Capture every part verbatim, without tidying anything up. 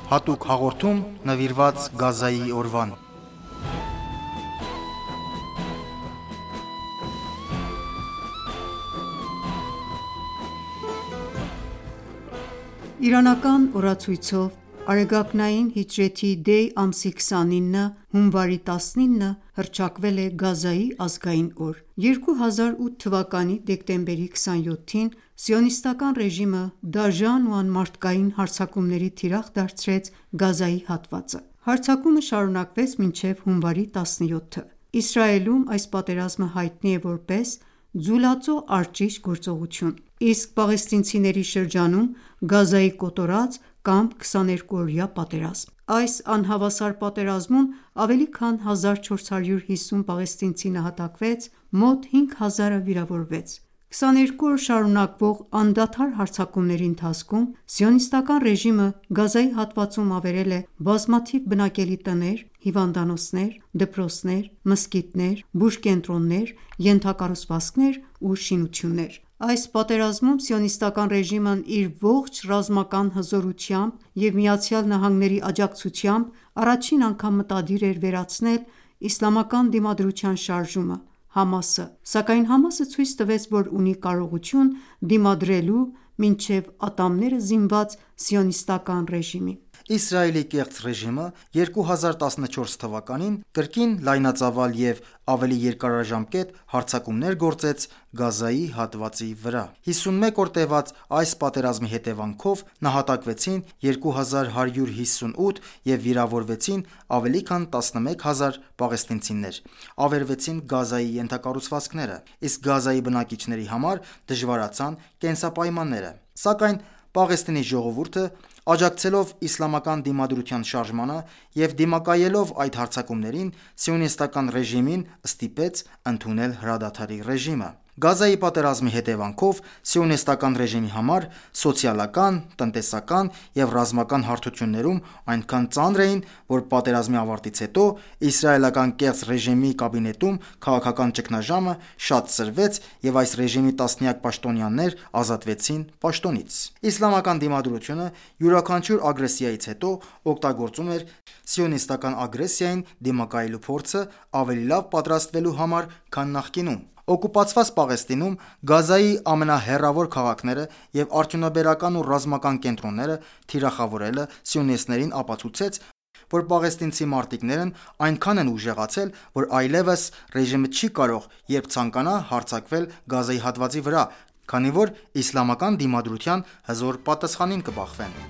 Հատուկ հաղորդում նվիրված Գազայի օրվան։ Իրանական օրացույցով Արեգակնային հիջրեթի դեյ ամսի քսանինը հունվարի տասնինը հռչակվել է Գազայի ազգային օր։ երկու հազար ութ թվականի դեկտեմբերի քսանյոթին Սիոնիստական ռեժիմը դաժան ու անմարդկային հարձակումների թիրախ դարձրեց Գազայի հատվածը։ Հարձակումը շարունակվեց մինչև հունվարի տասնյոթը։ Իսրայելում այս պատերազմը հայտնի է որպես «Ձուլածո արջիչ գործողություն», իսկ պաղեստինցիների շրջանում Գազայի կոտորած կամ քսաներկուօրյա պատերազմ։ Այս անհավասար պատերազմում ավելի քան հազար չորս հարյուր հիսուն պաղեստինցի նահատակվեց, մոտ հինգ հազարը վիրավորվեց։ քսաներկու օր շարունակվող անդադար հարձակումների ընթացքում Սիոնիստական ռեժիմը Գազայի հատվածում ավերել է բազմաթիվ բնակելի տներ, հիվանդանոցներ, դպրոցներ, մզկիթներ, բուժկենտրոններ, ենթակառուցվածքներ ու շինություններ։ Այս պատերազմում Սիոնիստական ռեժիմն իր ողջ ռազմական հզորությամբ և ԱՄՆ-ի աջակցությամբ առաջին անգամ մտադիր էր վերացնել իսլամական դիմադրության շարժումը՝ ՀԱՄԱՍ-ը, սակայն ՀԱՄԱՍ-ը ցույց տվեց, որ ունի կարողություն դիմադրելու մինչև ատամները զինված Սիոնիստական ռեժիմին։ Իսրայելի կեղծ ռեժիմը երկու հազար տասնչորս թվականին կրկին լայնածավալ և ավելի երկարաժամկետ հարձակումներ գործեց Գազայի հատվածի վրա։ հիսունմեկ օր տևած այս պատերազմի հետևանքով նահատակվեցին երկու հազար հարյուր հիսունութ և վիրավորվեցին ավելի քան տասնմեկ հազար պաղեստինցիներ, ավերվեցին Գազայի ենթակառուցվածքները, իսկ Գազայի բնակիչների համար դժվարացան կենսապայմանները։ Սակայն Պաղեստինի ժողովուրդը, աջակցելով իսլամական դիմադրության շարժմանը և դիմակայելով այդ հարձակումներին, Սիոնիստական ռեժիմին ստիպեց ընդունել հրադադարի ռեժիմը։ Գազայի պատերազմի հետևանքով Սիոնիստական ռեժիմի համար սոցիալական, տնտեսական և ռազմական հարթություններում այնքան ծանր էին, որ պատերազմի ավարտից հետո իսրայելական կեղծ ռեժիմի կաբինետում քաղաքական ճգնաժամը շատ սրվեց և այս ռեժիմի տասնյակ պաշտոնյաներ ազատվեցին պաշտոնից։ Իսլամական դիմադրությունը յուրաքանչյուր ագրեսիայից հետո օգտագործում էր սիոնիստական ագրեսիային դիմակայելու փորձը ավելի լավ պատրաստվելու համար, քան նախկինում։ Օկուպացված Պաղեստինում Գազայի ամենահեռավոր քաղաքները և արդյունաբերական ու ռազմական կենտրոնները թիրախավորելը սիոնիստներին ապացուցեց, որ պաղեստինցի մարտիկներն այնքան են ուժեղացել, որ այլևս ռեժիմը չի կարող երբ ցանկանա հարձակվել Գազայի հատվածի վրա, քանի որ իսլամական դիմադրության հզոր պատասխանին կբախվեն։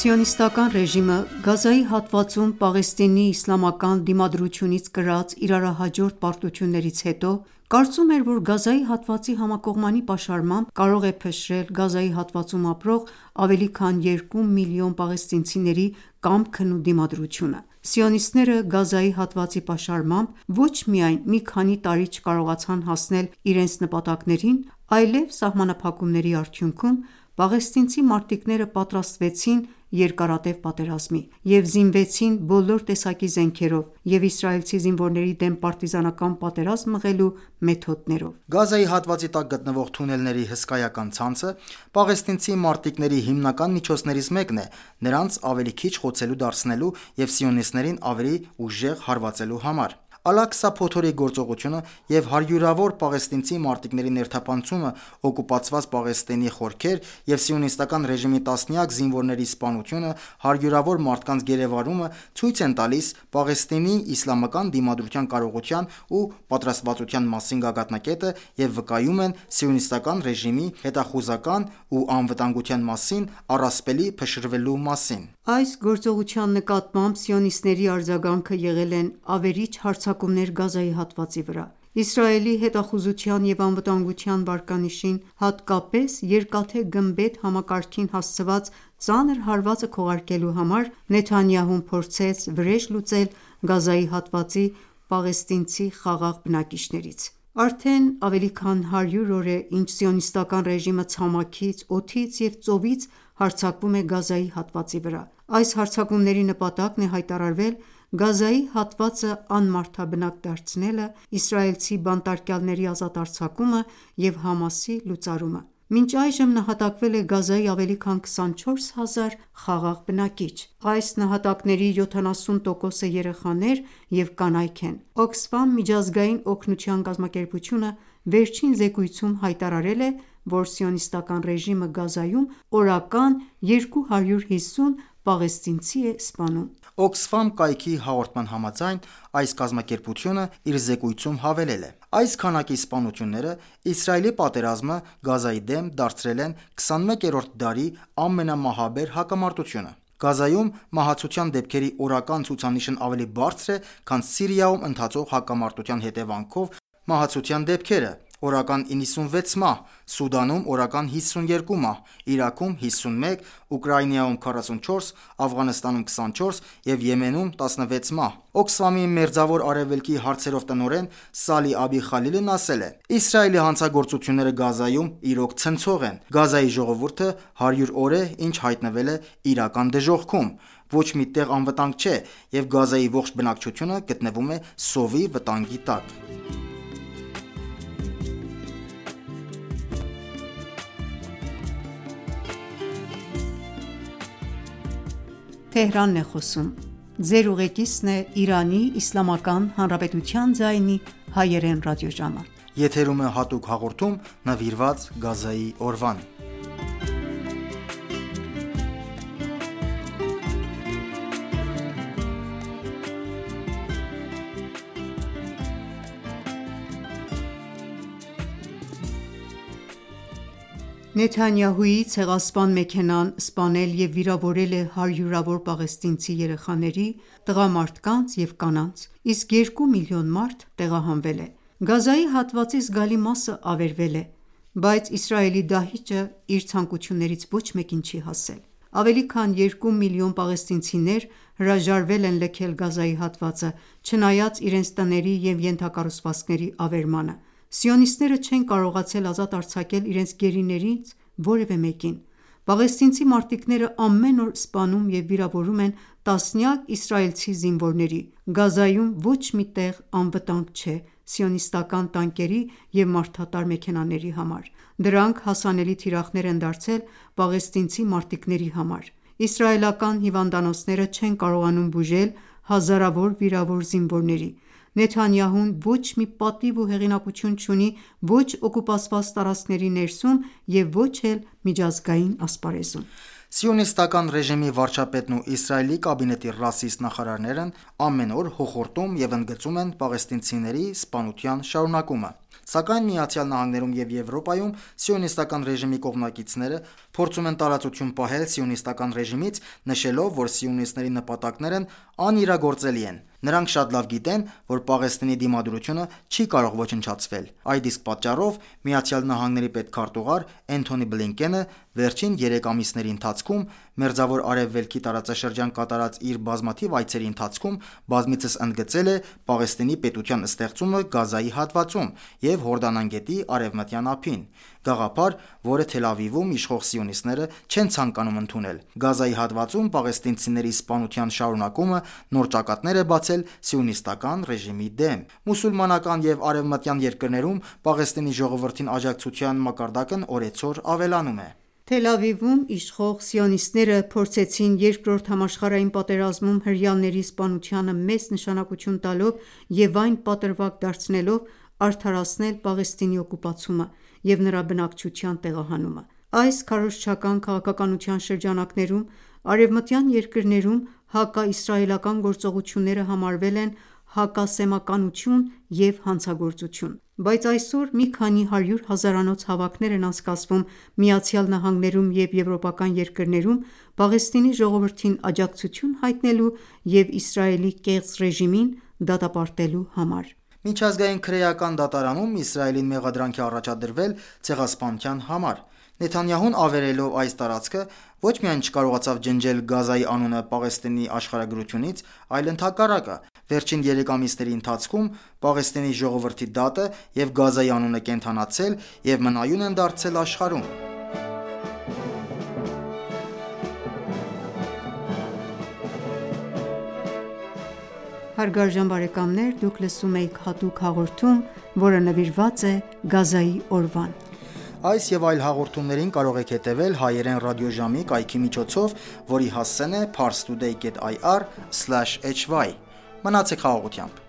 Սիոնիստական ռեժիմը Գազայի հատվածում Պաղեստինի իսլամական դիմադրությունից կրած իրարահաջորդ պարտություններից հետո կարծում էր, որ Գազայի հատվածի համակողմանի պաշարմամբ կարող է փշրել Գազայի հատվածում ապրող ավելի քան երկու միլիոն պաղեստինցիների կամքն ու դիմադրությունը։ Սիոնիստները Գազայի հատվածի պաշարմամբ ոչ միայն մի քանի տարի չկարողացան հասնել իրենց նպատակներին, այլև սահմանափակումների արդյունքում պաղեստինցի մարտիկները պատրաստվեցին երկարատև պատերազմի և զինվեցին բոլոր տեսակի զենքերով և իսրայելցի զինվորների դեմ պարտիզանական պատերազմ մղելու մեթոդներով։ Գազայի հատվածի տակ գտնվող թունելների հսկայական ցանցը պաղեստինցի մարտիկների հիմնական միջոցներից մեկն է՝ նրանց ավելի քիչ խոցելի դարձնելու և սիոնիստներին ավելի ուժեղ հարվածելու համար։ Ալ-Աքսա փոթորիկ գործողությունը և հարյուրավոր պաղեստինցի մարտիկների ներթափանցումը օկուպացված Պաղեստինի խորքեր և սիոնիստական ռեժիմի տասնյակ զինվորների սպանությունը, հարյուրավոր մարդկանց գերեվարումը ցույց են տալիս Պաղեստինի իսլամական դիմադրության կարողության ու պատրաստվածության մասին գագաթնակետը և վկայում են սիոնիստական ռեժիմի հետախուզական ու անվտանգության մասին առասպելի փշրվելու մասին։ Այս գործողության նկատմամբ սիոնիստների արձագանքը եղել են ավերիչ հարձակումներ Գազայի հատվածի վրա։ Իսրայելի հետախուզության և անվտանգության վարկանիշին, հատկապես երկաթե գմբեթ համակարգին հասցված ծանր հարվածը քողարկելու համար Նեթանյահուն փորձեց վրեժ լուծել Գազայի հատվածի պաղեստինցի խաղաղ բնակիչներից։ Արդեն ավելի քան հարյուր օր է, ինչ Սիոնիստական ռեժիմը ցամաքից, օդից և ծովից հարձակվում է Գազայի հատվածի վրա։ Այս հարձակումների նպատակն է հայտարարվել Գազայի հատվածը անմարդաբնակ դարձնելը, իսրայելցի բանտարկյալների ազատ արձակումը և Համասի լուծարումը։ Մինչ այժմ նահատակվել է Գազայի ավելի քան քսանչորս հազար խաղաղ բնակիչ։ Այս նահատակների յոթանասուն տոկոսը երեխաներ և կանայք են։ Oxfam միջազգային օգնության կազմակերպությունը վերջին զեկույցում հայտարարել է, որ Սիոնիստական ռեժիմը Գազայում օրական երկու հարյուր հիսուն պաղեստինցի է սպանում։ Oxfam կայքի հաղորդման համաձայն, այս կազմակերպությունը իր զեկույցում հավելել է. «Այս քանակի սպանությունները Իսրայելի պատերազմը Գազայի դեմ դարձրել են քսանմեկերորդ դարի ամենամահաբեր հակամարտությունը։ Գազայում մահացության դեպքերի օրական ցուցանիշն ավելի բարձր է, քան Սիրիայում ընթացող հակամարտության հետևանքով մահացության դեպքերը՝ օրական իննսունվեց մահ, Սուդանում օրական հիսունյերկու մահ, Իրաքում հիսունմեկ, Ուկրաինայում քառասունչորս, Աֆղանստանում քսանչորս և Եմենում տասնվեց մահ»։ Oxfam-ի Մերձավոր Արևելքի հարցերով տնօրեն Սալի Աբի Խալիլն ասել է. «Իսրայելի հանցագործությունները Գազայում իրոք ցնցող են։ Գազայի ժողովուրդը հարյուր օր է, ինչ հայտնվել է իրական դժոխքում։ Ոչ մի տեղ անվտանգ չէ, և Գազայի ողջ բնակչությունը գտնվում է սովի վտանգի տակ»։ Նեթանյահուի ցեղասպան մեքենան սպանել և վիրավորել է հարյուրավոր պաղեստինցի երեխաների, տղամարդկանց և կանանց, իսկ երկու միլիոն մարդ տեղահանվել է։ Գազայի հատվածի զգալի մասը ավերվել է, բայց Իսրայելի դահիճը իր ցանկություններից ոչ մեկին չի հասել։ Ավելի քան երկու միլիոն պաղեստինցիներ հրաժարվել են լքել Գազայի հատվածը՝ չնայած իրենց տների և ենթակառուցվածքների ավերմանը։ Սիոնիստները չեն կարողացել ազատ արձակել իրենց գերիներից որևէ մեկին։ Պաղեստինցի մարտիկները ամեն օր սպանում և վիրավորում են տասնյակ իսրայելցի զինվորների։ Գազայում ոչ մի տեղ անվտանգ չէ սիոնիստական տանկերի և մարդատար մեքենաների համար։ Դրանք հասանելի թիրախներ են դարձել պաղեստինցի մարտիկների համար։ Իսրայելական հիվանդանոցները չեն կարողանում բուժել հազարավոր վիրավոր զինվորների։ Նեթանյահուն ոչ մի պատիվ ու հեղինակություն չունի ոչ օկուպացված տարածքների ներսում և ոչ էլ միջազգային ասպարեզում։ Սիոնիստական ռեժիմի վարչապետն ու Իսրայելի կաբինետի ռասիստ նախարարներն ամեն օր հոխորտում և ընդգծում են պաղեստինցիների սպանության շարունակումը։ Սակայն ԱՄՆ-ում և Եվրոպայում սիոնիստական ռեժիմի կողմնակիցները փորձում են տարածություն պահել սիոնիստական ռեժիմից, նշելով, որ սիոնիստների նպատակներն անիրագործելի են։ Նրանք շատ լավ գիտեն, որ Պաղեստինի դիմադրությունը չի կարող ոչնչացվել։ Այդ իսկ պատճառով ԱՄՆ պետքարտուղար Էնթոնի Բլինկենը վերջին երեք ամիսների ընթացքում Մերձավոր Արևելքի տարածաշրջան կատարած իր բազմաթիվ այցերի ընթացքում բազմիցս ընդգծել է Պաղեստինի պետության ստեղծումը Գազայի հատվածում և Հորդանան գետի Արևմտյան ափին։ Գաղափար, որը Թել Ավիվում իշխող սիոնիստները չեն ցանկանում ընդունել։ Գազայի հատվածում պաղեստինցիների սպանության շարունակումը նոր ճակատներ է բացել սիոնիստական ռեժիմի դեմ։ Մուսուլմանական և արևմտյան երկրներում Պաղեստինի ժողովրդին աջակցության մակարդակն օրեցօր ավելանում է։ Թել Ավիվում իշխող սիոնիստները փորձեցին Երկրորդ համաշխարհային պատերազմում հրեաների սպանությանը մեծ նշանակություն տալով և այն պատրվակ դարձնելով արդարացնել Պաղեստինի օկուպացումը և նրա բնակչության տեղահանումը։ Այս քարոզչական քաղաքականության շրջանակներում արևմտյան երկրներում հակաիսրայելական գործողությունները համարվել են հակասեմականություն և հանցագործություն։ Բայց այսօր մի քանի հարյուր հազարանոց հավաքներ են անցկացվում ԱՄՆ-ում և եվրոպական երկրներում Պաղեստինի ժողովրդին աջակցություն հայտնելու և Իսրայելի կեղծ ռեժիմին դատապարտելու համար։ Միջազգային քրեական դատարանում Իսրայելին մեղադրանք է առաջադրվել ցեղասպանության համար։ Նեթանյահուն ավերելով այս տարածքը ոչ միայն չկարողացավ ջնջել Գազայի անունը Պաղեստինի աշխարհագրությունից, այլ ընդհակառակը, վերջին երեք ամիսների ընթացքում Պաղեստինի ժողովրդի դատը և Գազայի անունը կենդանացել և մնայուն են դարձել աշխարհում։ Հարգարժան բարեկամներ, դուք լսում եք հատուկ հաղորդում, որը նվիրված է Գազայի օրվան։ Այս եւ այլ հաղորդումներին կարող եք հետևել հայերեն ռադիոժամի կայքի միջոցով, որի հասցեն է parstoday dot ir slash h y։ Մնացեք խաղաղությամբ։